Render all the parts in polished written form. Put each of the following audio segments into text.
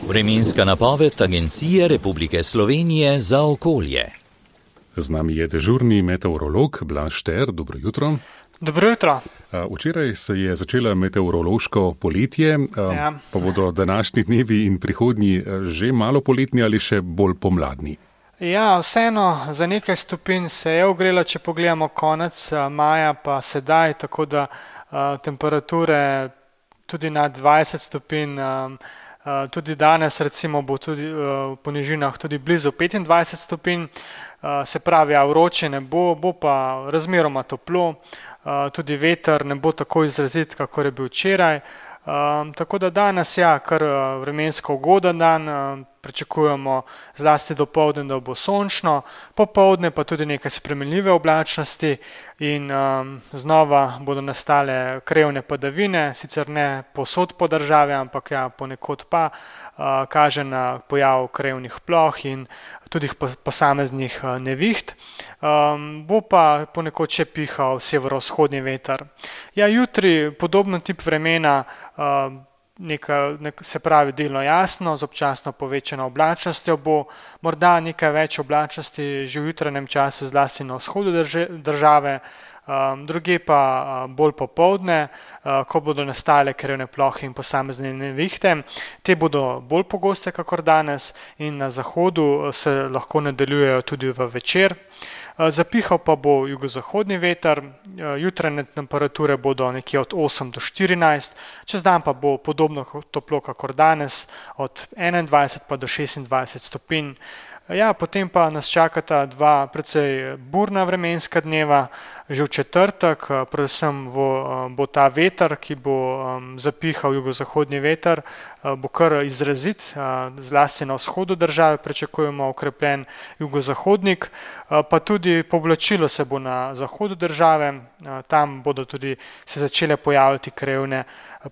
Vremenska napoved Agencije Republike Slovenije za okolje. Z nami je dežurni meteorolog Blaž Šter. Dobro jutro. Dobro jutro. Včeraj se je začela meteorološko poletje, pa bodo današnji dnevi in prihodnji že malo poletni ali še bolj pomladni. Ja, vseeno za nekaj stopinj se je ogrela, če pogledamo konec maja pa sedaj, tako da temperature tudi na 20 stopinj, tudi danes recimo bo tudi v nižinah tudi blizu 25 stopinj, se pravi, vroče ne bo, bo pa razmeroma toplo, tudi veter ne bo tako izrazit, kakor je bil včeraj. Tako da danes kar vremensko ugoden dan, pričakujemo zlasti dopoldne, da bo sončno, popoldne pa tudi nekaj spremenljive oblačnosti in znova bodo nastale krevne padavine, sicer ne povsod po državi, ampak ponekod pa kaže na pojav krevnih ploh in tudi posameznih neviht. Bo pa ponekod še pihal severovzhodni veter. Jutri podobno tip vremena, se pravi delno jasno, z občasno povečano oblačnostjo bo, morda nekaj več oblačnosti že v jutranjem času, zlasti na vzhodu države, druge pa bolj popoldne, ko bodo nastale krevne plohe in posamezne nevihte. Te bodo bolj pogoste kakor danes in na zahodu se lahko nadaljujejo tudi v večer. Zapihal pa bo jugozahodni veter, jutranje temperature bodo nekje od 8 do 14, čez dan pa bo podobno toplo kakor danes, od 21 pa do 26 stopinj. Potem pa nas čakata dva precej burna vremenska dneva, že v četrtek, predvsem bo ta veter, ki bo zapihal jugozahodni veter, bo kar izrazit, zlasti na vzhodu države pričakujemo okrepljen jugozahodnik, pa tudi povlačilo se bo na zahodu države, tam bodo tudi se začele pojavljati krevne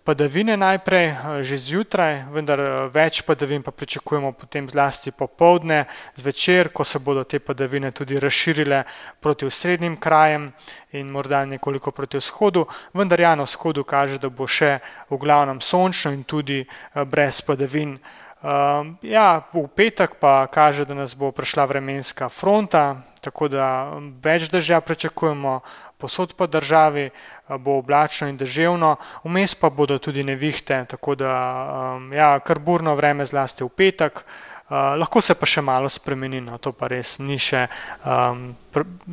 padavine najprej, že zjutraj, vendar več padavin pa pričakujemo potem zlasti popoldne, zvečer, ko se bodo te padavine tudi razširile proti osrednjim krajem in morda nekoliko proti vzhodu, vendar na vzhodu kaže, da bo še v glavnem sončno in tudi brez padavin. V petek pa kaže, da nas bo prišla vremenska fronta, tako da več dežja pričakujemo, povsod po državi bo oblačno in deževno, vmes pa bodo tudi nevihte, tako da kar burno vreme zlasti v petek, lahko se pa še malo spremeni, to pa res ni še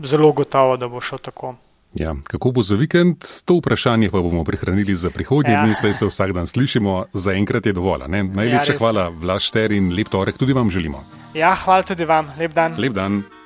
zelo gotovo, da bo šlo tako. Kako bo za vikend? To vprašanje pa bomo prihranili za prihodnje dni, saj se vsak dan slišimo, zaenkrat je dovolj. Najlepša hvala, Blaž Šter, in lep torek tudi vam želimo. Hvala tudi vam, lep dan. Lep dan.